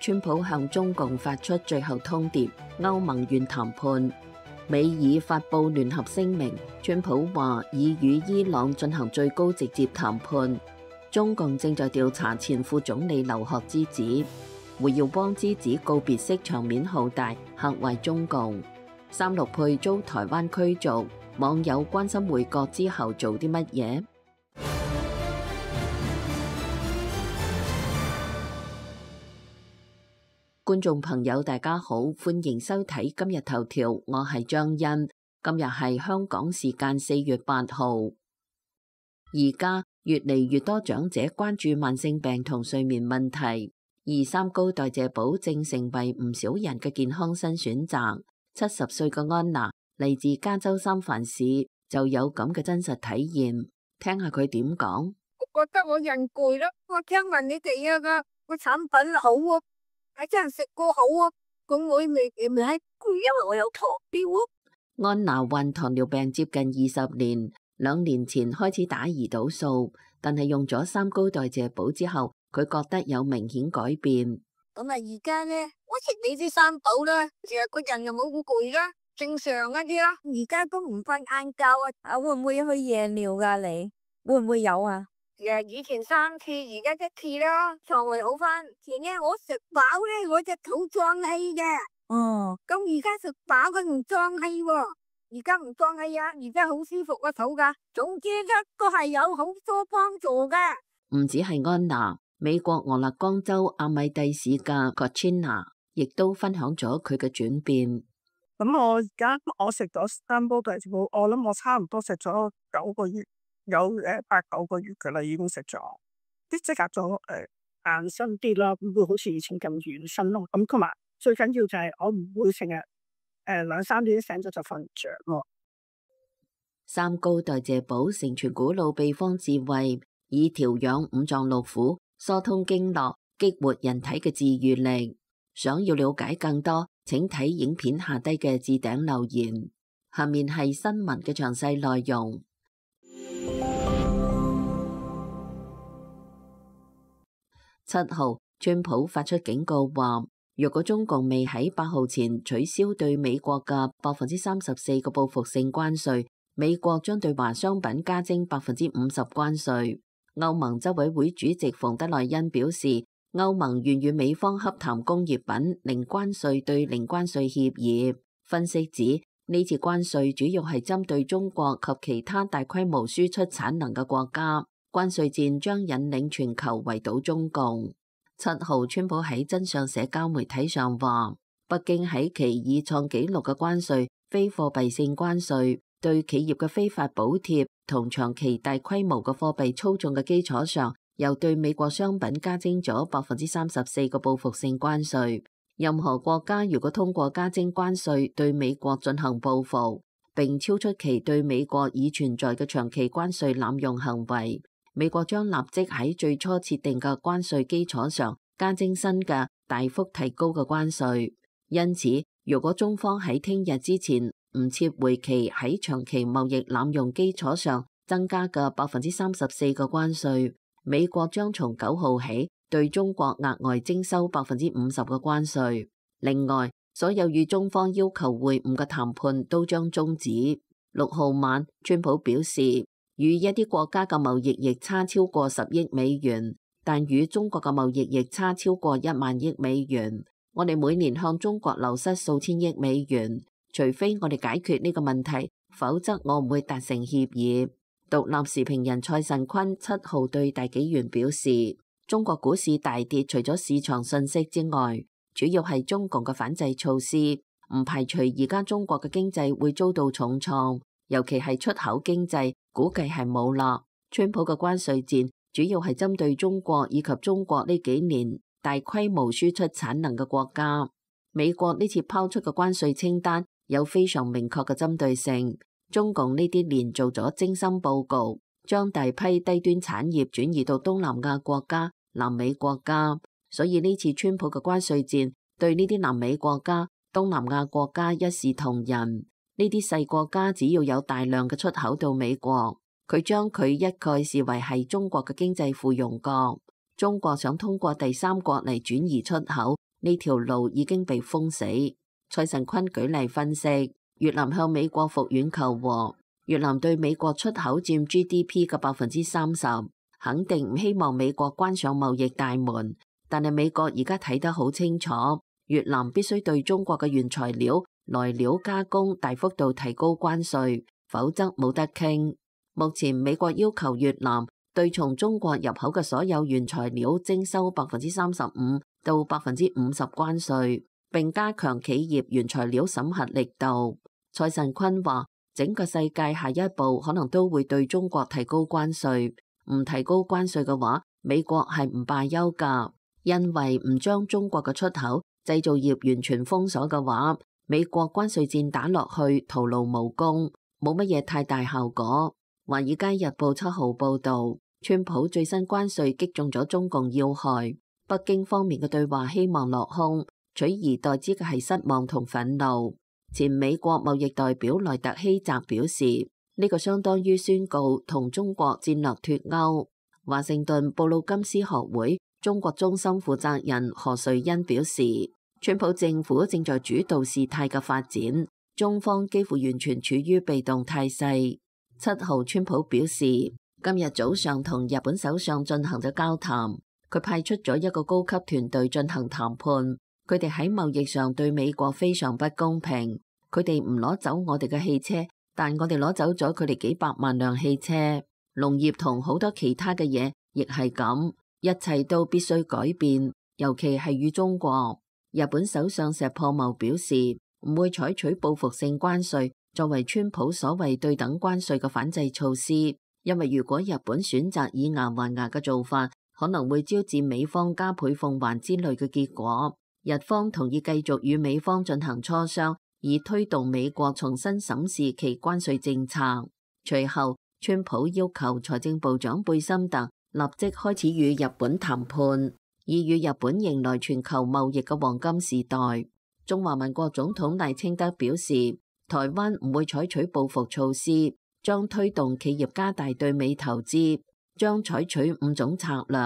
川普向中共發出最後通牒，歐盟願談判。美爾發布聯合聲明，川普話已與伊朗進行最高直接談判。中共正在調查前副總理劉鶴之子，胡耀邦之子告別式場面浩大，嚇壞中共。三鹿配遭台灣驅逐，網友關心回國之後做啲乜嘢？觀眾朋友大家好，歡迎收睇今日頭條，我係張欣。今日係香港時間4月8號。而家越嚟越多長者關注慢性病同睡眠問題，而三高代謝寶正成為唔少人嘅健康新選擇。70歲嘅安娜嚟自加州三藩市，就有咁嘅真實體驗，聽下佢點講。我覺得我人攰啦，我聽聞你哋個產品好啊。係真係食過好啊！咁我咪係攰，因為我有糖尿啊。安娜患糖尿病接近20年，2年前開始打胰島素，但係用咗三高代謝寶之後，佢覺得有明顯改變。咁啊，而家咧，我食你啲三寶啦，成日個人又冇咁攰啦，正常一啲啦。而家都唔瞓晏覺啊！會唔會去夜尿噶？你會唔會有啊？以前3次，而家1次啦，腸胃好翻。前日我食飽咧，我隻肚脹氣嘅。咁而家食飽佢唔脹氣喎，而家唔脹氣啊，而家好舒服個肚噶。總之咧，都係有好多幫助噶。唔止係安娜，美國俄勒岡州阿米蒂市嘅 Katrina 亦都分享咗佢嘅轉變。咁我食咗三煲代謝寶，我諗我差唔多食咗9個月。有8、9個月噶啦，已經食咗，即刻咗硬身啲啦，唔會好似以前咁軟身咯。咁同埋最緊要就係我唔會成日2、3點醒咗就瞓唔着咯。三高代謝寶承傳古老秘方智慧，以調養五臟六腑、疏通經絡、激活人體嘅治癒力。想要了解更多，請睇影片下低嘅置頂留言。下面係新聞嘅詳細內容。7號，川普發出警告話，若果中共未喺8號前取消對美國嘅34%嘅報復性關稅，美國將對華商品加徵50%關稅。歐盟執委會主席馮德萊恩表示，歐盟願與美方洽談工業品零關稅對零關稅協議。分析指，呢次關稅主要係針對中國及其他大規模輸出產能嘅國家。關稅戰將引領全球圍堵中共。7號，川普喺真相社交媒體上話，北京喺其已創紀錄嘅關稅、非貨幣性關稅、對企業嘅非法補貼同長期大規模嘅貨幣操縱嘅基礎上，又對美國商品加徵咗34%嘅報復性關稅。任何國家如果通過加徵關稅對美國進行報復，並超出其對美國已存在嘅長期關稅濫用行為，美國將立即喺最初設定嘅關稅基礎上加徵新嘅大幅提高嘅關稅。因此，如果中方喺聽日之前唔撤回其喺長期貿易濫用基礎上增加嘅34%嘅關稅，美國將從9號起對中國額外徵收50%嘅關稅。另外，所有與中方要求會晤嘅談判都將終止。6號晚，川普表示，與一啲國家嘅貿易逆差超過10億美元，但與中國嘅貿易逆差超過1萬億美元。我哋每年向中國流失數千億美元，除非我哋解決呢個問題，否則我唔會達成協議。獨立時評人蔡慎坤7號對大紀元表示，中國股市大跌，除咗市場信息之外，主要係中共嘅反制措施，唔排除而家中國嘅經濟會遭到重創，尤其係出口經濟，估計係冇啦。川普嘅關稅戰主要係針對中國以及中國呢幾年大規模輸出產能嘅國家。美國呢次拋出嘅關稅清單有非常明確嘅針對性。中共呢啲年做咗精心報告，將大批低端產業轉移到東南亞國家、南美國家，所以呢次川普嘅關稅戰對呢啲南美國家、東南亞國家一視同仁。呢啲細國家只要有大量嘅出口到美國，佢將佢一概視為係中國嘅經濟附庸國。中國想通過第三國嚟轉移出口，呢條路已經被封死。蔡神坤舉例分析，越南向美國復員求和，越南對美國出口佔 GDP 嘅30%，肯定唔希望美國關上貿易大門。但係美國而家睇得好清楚，越南必須對中國嘅原材料、來料加工大幅度提高關稅，否則冇得傾。目前美國要求越南對從中國入口嘅所有原材料徵收35%到50%關稅，並加強企業原材料審核力度。蔡神坤話，整個世界下一步可能都會對中國提高關稅，唔提高關稅嘅話，美國係唔罷休㗎。因為唔將中國嘅出口製造業完全封鎖嘅話，美國關稅戰打落去徒勞無功，冇乜嘢太大效果。華爾街日報7號報道，川普最新關稅擊中咗中共要害，北京方面嘅對話希望落空，取而代之嘅係失望同憤怒。前美國貿易代表萊特希澤表示，呢個相當於宣告同中國戰略脫鈎。華盛頓布魯金斯學會中國中心負責人何瑞恩表示，川普政府正在主導事態嘅發展，中方幾乎完全處於被動態勢。7號川普表示，今日早上同日本首相進行咗交談，佢派出咗一個高級團隊進行談判。佢哋喺貿易上對美國非常不公平，佢哋唔攞走我哋嘅汽車，但我哋攞走咗佢哋幾百萬輛汽車。農業同好多其他嘅嘢亦係咁。一切都必須改變，尤其係與中國。日本首相石破茂表示，唔會採取報復性關稅作為川普所謂對等關稅嘅反制措施，因為如果日本選擇以牙還牙嘅做法，可能會招致美方加倍奉還之類嘅結果。日方同意繼續與美方進行磋商，以推動美國重新審視其關稅政策。隨後，川普要求財政部長貝森特立即開始與日本談判，以與日本迎來全球貿易嘅黃金時代。中華民國總統賴清德表示，台灣唔會採取報復措施，將推動企業加大對美投資，將採取5種策略，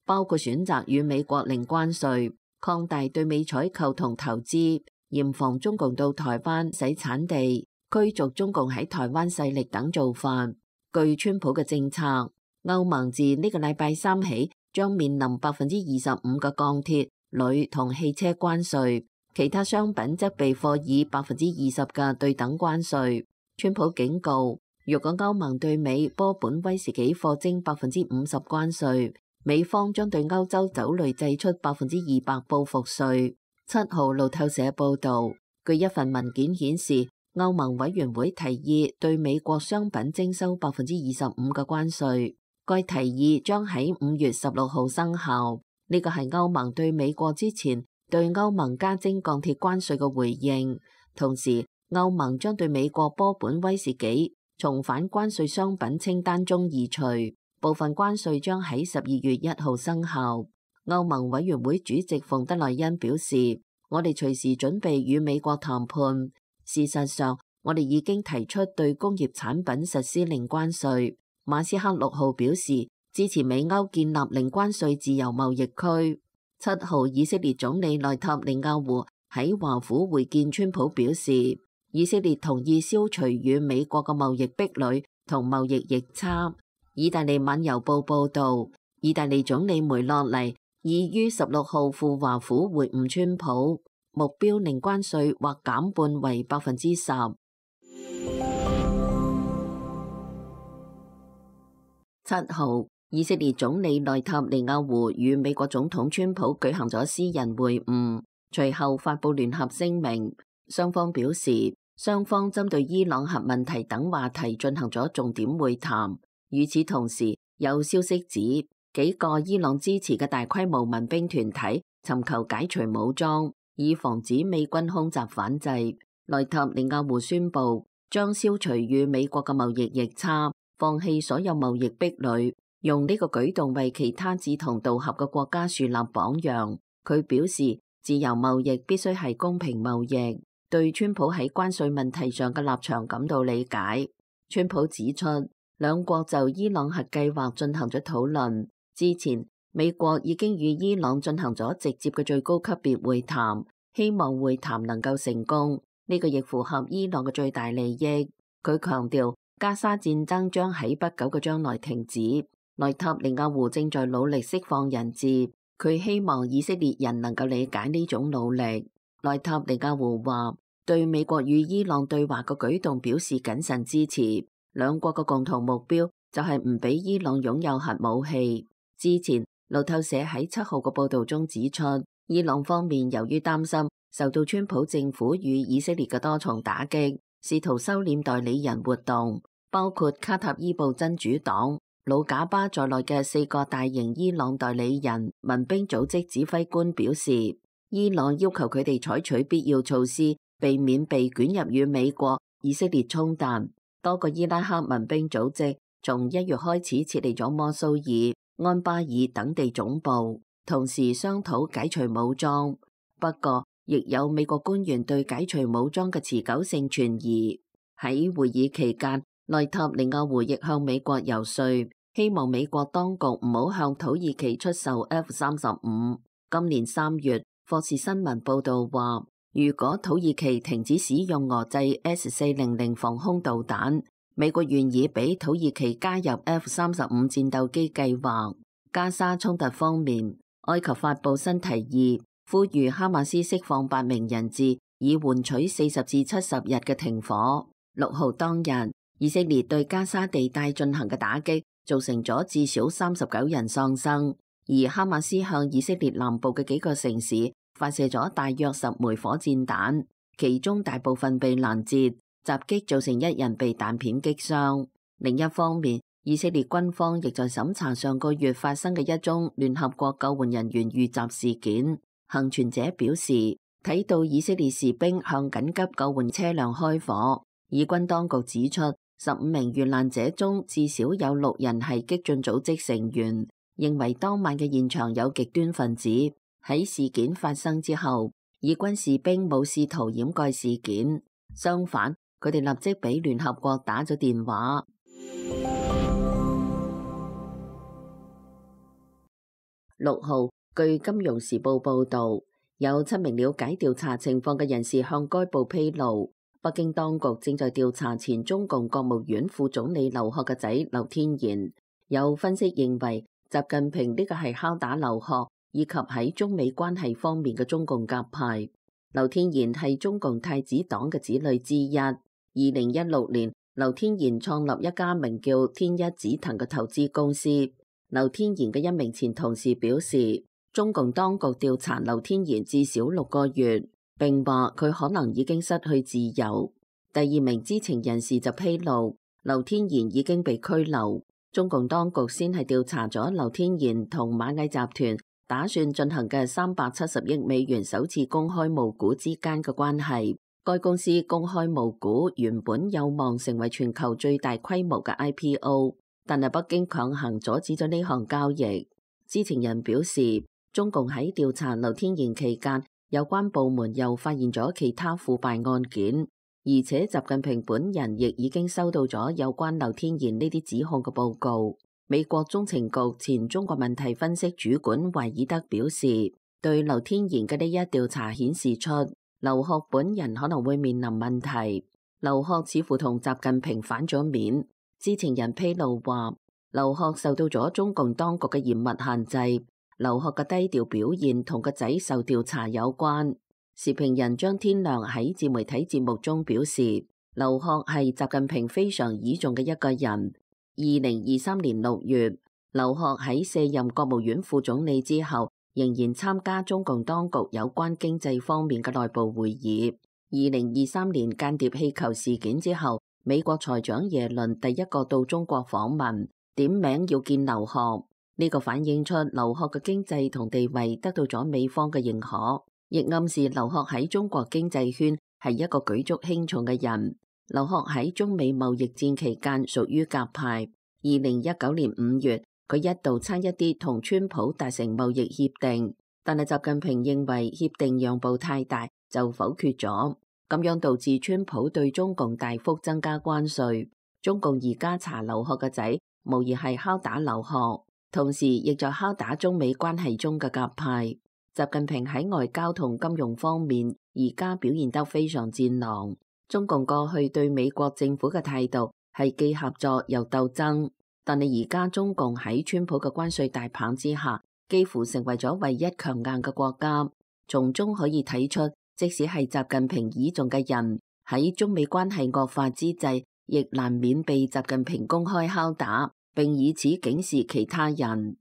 包括選擇與美國零關稅、擴大對美採購同投資、嚴防中共到台灣洗產地、驅逐中共喺台灣勢力等做法。據川普嘅政策，歐盟自呢個禮拜3起將面臨25%嘅鋼鐵、鋁同汽車關稅，其他商品則被課以20%嘅對等關稅。川普警告，若果歐盟對美波本威士忌課徵50%關稅，美方將對歐洲酒類製出200%報復稅。7號路透社報道，據一份文件顯示，歐盟委員會提議對美國商品徵收25%嘅關稅。該提議將喺5月16號生效，呢個係歐盟對美國之前對歐盟加徵鋼鐵關稅嘅回應。同時，歐盟將對美國波本威士忌從反關稅商品清單中移除，部分關稅將喺12月1號生效。歐盟委員會主席馮德萊恩表示，我哋隨時準備與美國談判。事實上，我哋已經提出對工業產品實施零關稅。馬斯克6號表示支持美歐建立零關稅自由貿易區。7號以色列總理內塔尼亞胡喺華府會見川普，表示以色列同意消除與美國嘅貿易壁壘同貿易逆差。意大利晚郵報報道，意大利總理梅洛尼已於16號赴華府會晤川普，目標零關稅或減半為10%。7號，以色列總理內塔尼亞胡與美國總統川普舉行咗私人會晤，隨後發布聯合聲明。雙方表示，雙方針對伊朗核問題等話題進行咗重點會談。與此同時，有消息指幾個伊朗支持嘅大規模民兵團體尋求解除武裝，以防止美軍空襲反制。內塔尼亞胡宣布將消除與美國嘅貿易逆差，放棄所有貿易壁壘，用呢個舉動為其他志同道合嘅國家樹立榜樣。佢表示，自由貿易必須係公平貿易，對川普喺關稅問題上嘅立場感到理解。川普指出，兩國就伊朗核計劃進行咗討論。之前，美國已經與伊朗進行咗直接嘅最高級別會談，希望會談能夠成功。呢個亦符合伊朗嘅最大利益。佢強調，加沙戰爭將喺不久嘅將來停止。內塔尼亞胡正在努力釋放人質，佢希望以色列人能夠理解呢種努力。內塔尼亞胡話，對美國與伊朗對話嘅舉動表示謹慎支持。兩國嘅共同目標就係唔俾伊朗擁有核武器。之前路透社喺7號嘅報道中指出，伊朗方面由於擔心受到川普政府與以色列嘅多重打擊，試圖收斂代理人活動，包括卡塔伊布真主黨、魯賈巴在內嘅4個大型伊朗代理人民兵組織指揮官表示，伊朗要求佢哋採取必要措施，避免被捲入與美國、以色列衝突。多個伊拉克民兵組織從1月開始撤離咗摩蘇爾、安巴爾等地總部，同時商討解除武裝。不過，亦有美國官員對解除武裝嘅持久性存疑。喺會議期間，內塔尼亞胡亦向美國游說，希望美國當局唔好向土耳其出售 F-35。今年3月，霍士新聞報道話，如果土耳其停止使用俄製 S-400防空導彈，美國願意俾土耳其加入 F-35戰鬥機計劃。加沙衝突方面，埃及發布新提議，呼籲哈馬斯釋放8名人質，以換取40至70日嘅停火。6號當日，以色列對加沙地帶進行嘅打擊，造成咗至少39人喪生，而哈馬斯向以色列南部嘅幾個城市發射咗大約10枚火箭彈，其中大部分被攔截。襲擊造成1人被彈片擊傷。另一方面，以色列軍方亦在審查上個月發生嘅一宗聯合國救援人員遇襲事件。幸存者表示，睇到以色列士兵向緊急救援車輛開火。以軍當局指出，15名遇難者中至少有6人係激進組織成員，認為當晚嘅現場有極端分子。喺事件發生之後，以軍士兵冇試圖掩蓋事件，相反，佢哋立即俾聯合國打咗電話。6號，據《金融時報》報導，有7名了解調查情況嘅人士向該報披露，北京當局正在調查前中共國務院副總理劉鶴嘅仔劉天賢。有分析認為，習近平呢個係敲打劉鶴，以及喺中美關係方面嘅中共鴿派。劉天賢係中共太子黨嘅子女之一。2016年，劉天賢創立一家名叫天一紫藤嘅投資公司。劉天賢嘅一名前同事表示，中共當局調查劉天賢至少6個月，並話佢可能已經失去自由。第2名知情人士就披露，劉天賢已經被拘留。中共當局先係調查咗劉天賢同螞蟻集團打算進行嘅370億美元首次公開募股之間嘅關係。該公司公開募股原本有望成為全球最大規模嘅 IPO， 但係北京強行阻止咗呢項交易。知情人表示，中共喺調查劉天賢期間，有關部門又發現咗其他腐敗案件，而且習近平本人亦已經收到咗有關劉天賢呢啲指控嘅報告。美國中情局前中國問題分析主管懷爾德表示，對劉天賢嘅呢一調查顯示出，劉鶴本人可能會面臨問題。劉鶴似乎同習近平反咗面。知情人披露話，劉鶴受到咗中共當局嘅嚴密限制。劉鶴嘅低調表現同個仔受調查有關。時評人張天亮喺自媒體節目中表示，劉鶴係習近平非常倚重嘅一個人。2023年6月，劉鶴喺卸任國務院副總理之後，仍然參加中共當局有關經濟方面嘅內部會議。2023年間諜氣球事件之後，美國財長耶倫第一個到中國訪問，點名要見劉鶴。呢個反映出劉鶴嘅經濟同地位得到咗美方嘅認可，亦暗示劉鶴喺中國經濟圈係一個舉足輕重嘅人。劉鶴喺中美貿易戰期間屬於鴿派。2019年5月，佢一度差一啲同川普達成貿易協定，但係習近平認為協定讓步太大，就否決咗，咁樣導致川普對中共大幅增加關稅。中共而家查劉鶴嘅仔，無疑係敲打劉鶴。同時亦在敲打中美關係中嘅夾派。習近平喺外交同金融方面而家表現得非常戰狼。中共過去對美國政府嘅態度係既合作又鬥爭，但係而家中共喺川普嘅關稅大棒之下，幾乎成為咗唯一強硬嘅國家。從中可以睇出，即使係習近平倚重嘅人，喺中美關係惡化之際，亦難免被習近平公開敲打，並以此警示其他人。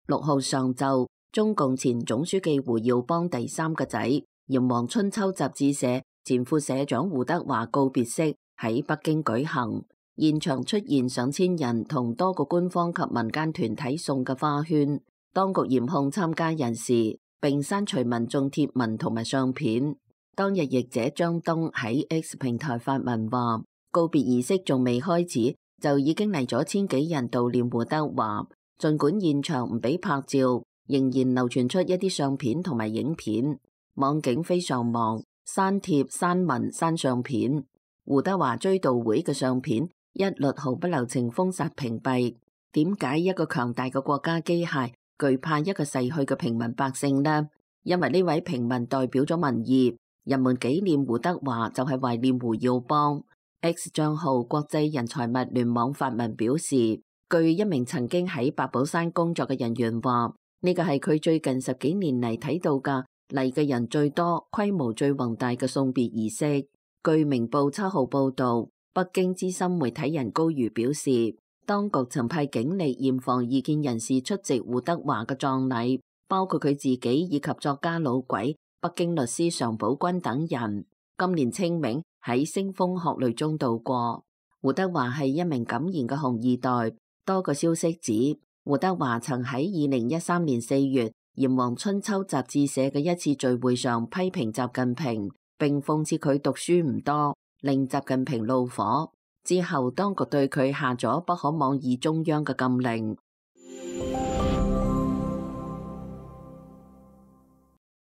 6號上晝，中共前總書記胡耀邦第三個仔炎黃春秋雜誌社前副社長胡德華告別式喺北京舉行，現場出現上千人同多個官方及民間團體送嘅花圈。當局嚴控參加人士，並刪除民眾貼文同埋相片。當日譯者張東喺 X 平台發文話，告別儀式仲未開始，就已經嚟咗千幾人悼念胡德華。儘管現場唔俾拍照，仍然流傳出一啲相片同埋影片。網警非常忙，刪帖、刪文、刪相片。胡德華追悼會嘅相片一律毫不留情封殺屏蔽。點解一個強大嘅國家機械懼怕一個逝去嘅平民百姓呢？因為呢位平民代表咗民意。人們紀念胡德華就係懷念胡耀邦。X 賬號國際人才物聯網發文表示，據一名曾經喺八寶山工作嘅人員話，呢個係佢最近10幾年嚟睇到嘅嚟嘅人最多、規模最宏大嘅送別儀式。據明報7號報道，北京資深媒體人高瑜表示，當局曾派警力嚴防異見人士出席胡德華嘅葬禮，包括佢自己以及作家老鬼、北京律師常寶軍等人。今年清明喺腥風血淚中度過。胡德華係一名敢言嘅紅二代。多個消息指，胡德華曾喺2013年4月炎黃春秋雜誌社嘅一次聚會上批評習近平，並諷刺佢讀書唔多，令習近平怒火。之後，當局對佢下咗不可妄議中央嘅禁令。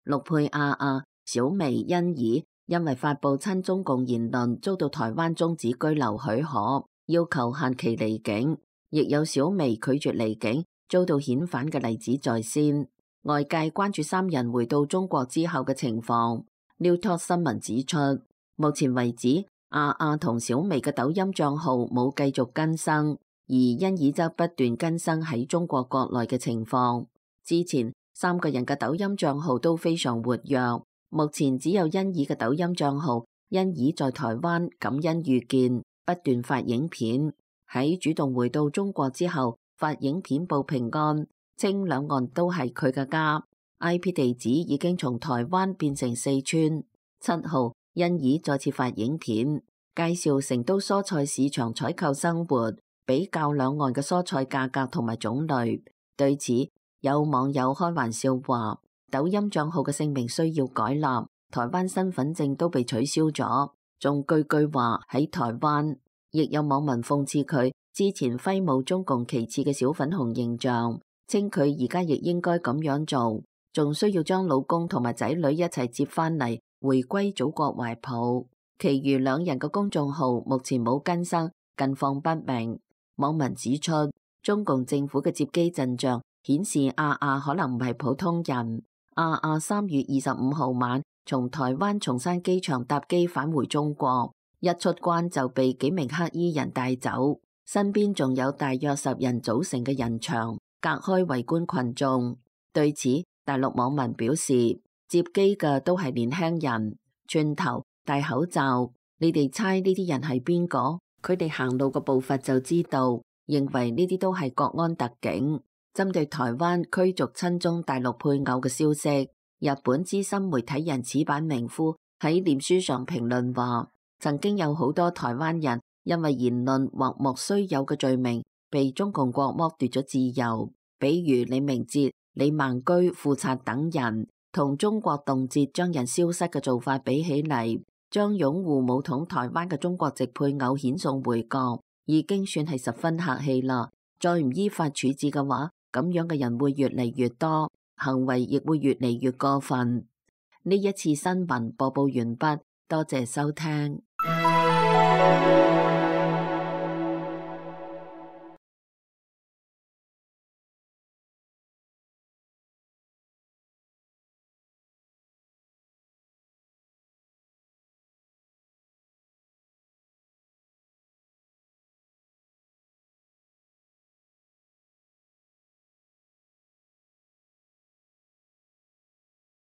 陸佩亞亞、小薇、欣宜因為發布親中共言論，遭到台灣終止居留許可，要求限期離境。亦有小薇拒絕離境，遭到遣返嘅例子在先。外界關注3人回到中國之後嘅情況。New Talk 新聞指出，目前為止，亞亞同小薇嘅抖音賬號冇繼續更新，而欣宜則不斷更新喺中國國內嘅情況。之前3個人嘅抖音賬號都非常活躍，目前只有欣宜嘅抖音賬號，欣宜在台灣感恩遇見，不斷發影片。喺主動回到中國之後，發影片報平安，稱兩岸都係佢嘅家。IP 地址已經從台灣變成四川。7號，欣宜再次發影片，介紹成都蔬菜市場採購生活，比較兩岸嘅蔬菜價格同埋種類。對此，有網友開玩笑話，抖音賬號嘅姓名需要改立，台灣身份證都被取消咗，仲句句話喺台灣。亦有網民諷刺佢之前揮舞中共旗幟嘅小粉紅形象，稱佢而家亦應該咁樣做，仲需要將老公同埋仔女一齊接返嚟，回歸祖國懷抱。其餘2人嘅公眾號目前冇更新，近況不明。網民指出，中共政府嘅接機陣仗顯示亞亞可能唔係普通人。亞亞3月25號晚從台灣松山機場搭機返回中國。一出關就被幾名黑衣人帶走，身邊仲有大約10人組成嘅人牆，隔開圍觀群眾。對此，大陸網民表示，接機嘅都係年輕人，寸頭、戴口罩，你哋猜呢啲人係邊個？佢哋行路嘅步伐就知道，認為呢啲都係國安特警。針對台灣驅逐親中大陸配偶嘅消息，日本資深媒體人矢板明夫喺臉書上評論話，曾經有好多台灣人因為言論或莫須有嘅罪名，被中共國剝奪咗自由。比如李明哲、李孟居、富察等人，同中國動輒將人消失嘅做法比起嚟，將擁護武統台灣嘅中國籍配偶遣送回國，已經算係十分客氣啦。再唔依法處置嘅話，咁樣嘅人會越嚟越多，行為亦會越嚟越過分。呢一次新聞播報完畢。多謝收聽。